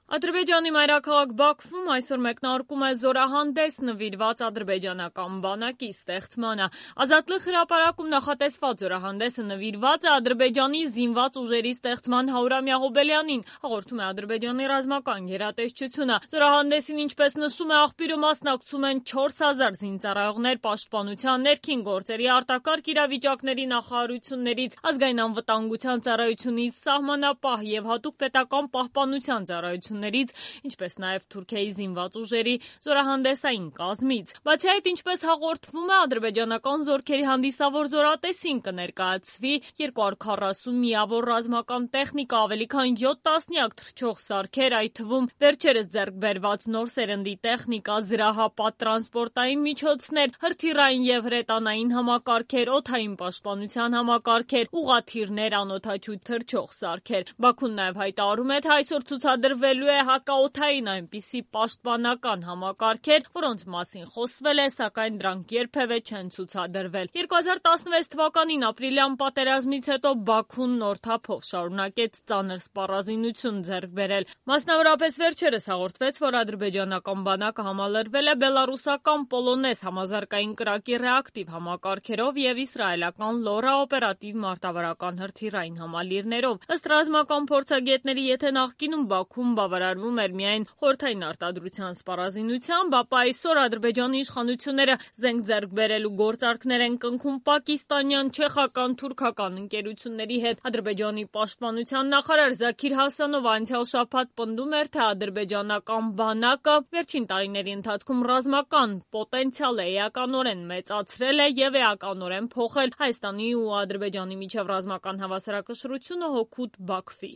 Ադրբեջանի մայրաքաղաք Բաքվում այսօր մեկնարկում է զորահանդես նվիրված ադրբեջանական բանակի ստեղծմանը։ Ազատլıq հրապարակում նախատեսված զորահանդեսը նվիրված է Ադրբեջանի զինված ուժերի ստեղծման 100-ամյա հոբելյանին, հաղորդում է Ադրբեջանի ռազմական գերատեսչությունը։ Զորահանդեսին, ինչպես նշում է աղբյուրը, մասնակցում են 4000 զինծառայողներ պաշտպանության, ներքին գործերի, արտակարգ իրավիճակների նախարարություններից, ազգային անվտանգության ծառայությունից, սահմանապահ եւ հատուկ պետական պահպանության ծառայություններից, ինչպես նաև Թուրքիայի զինված ուժերի զորահանդեսային կազմից։ Բացի այդ, ինչպես հաղորդվում է, ադրբեջանական զորքերի հանդիսավոր զորատեսին կներկայացվի 240 միավոր ռազմական տեխնիկա, ավելի քան 7 տասնյակ թռչող սարքեր, այդ թվում վերջերս ձեռք բերված նոր սերնդի տեխնիկա, զրահապատ տրանսպորտային միջոցներ, հրթիռային եւ հրետանային համակարգեր, օդային պաշտպանության համակարգեր, ուղղաթիռներ, անօդաչու թռչող սարքեր։ Բաքուն նաև հայտարարում է, թե այսօր ցուցադրվելու է հակաօդային այնպիսի պաշտպանական համակարգեր, որոնց մասին խոսվել է, սակայն դրանք երբևէ չեն ցուցադրվել։ 2016 թվականին ապրիլյան պատերազմից հետո Բաքուն նոր թափով շարունակեց ծանր սպառազինություն ձեռք բերել։ Մասնավորապես վերջերս հաղորդվեց, որ ադրբեջանական բանակը համալրվել է բելառուսական Պոլոնեզ համազարգային կրակի ռեակտիվ համակարգերով եւ իսրայելական Լորա օպերատիվ մարտավարական հրթիռային համալիրներով։ Ըստ ռազմական փորձագետների, եթե նախկինում Բաքուն բավարարվում էր միայն խորհրդային արտադրության սպառազինությամբ, ապա այսօր Ադրբեջանի իշխանությունները զենք ձեռք բերելու գործարքներ են կնքում պակիստանյան, չեխական, թուրքական ընկերությունների հետ։ Ադրբեջանի պաշտպանության նախարար Զաքիր Հասանովը անցյալ շաբաթ պնդում էր, թե ադրբեջանական բանակը վերջին տարիների ընթացքում ռազմական պոտենցիալը էականորեն մեծացրել է եւ էականորեն փոխել Հայաստանի ու Ադրբեջանի միջև ռազմական հավասարակշռությունը հօգուտ Բաքվի։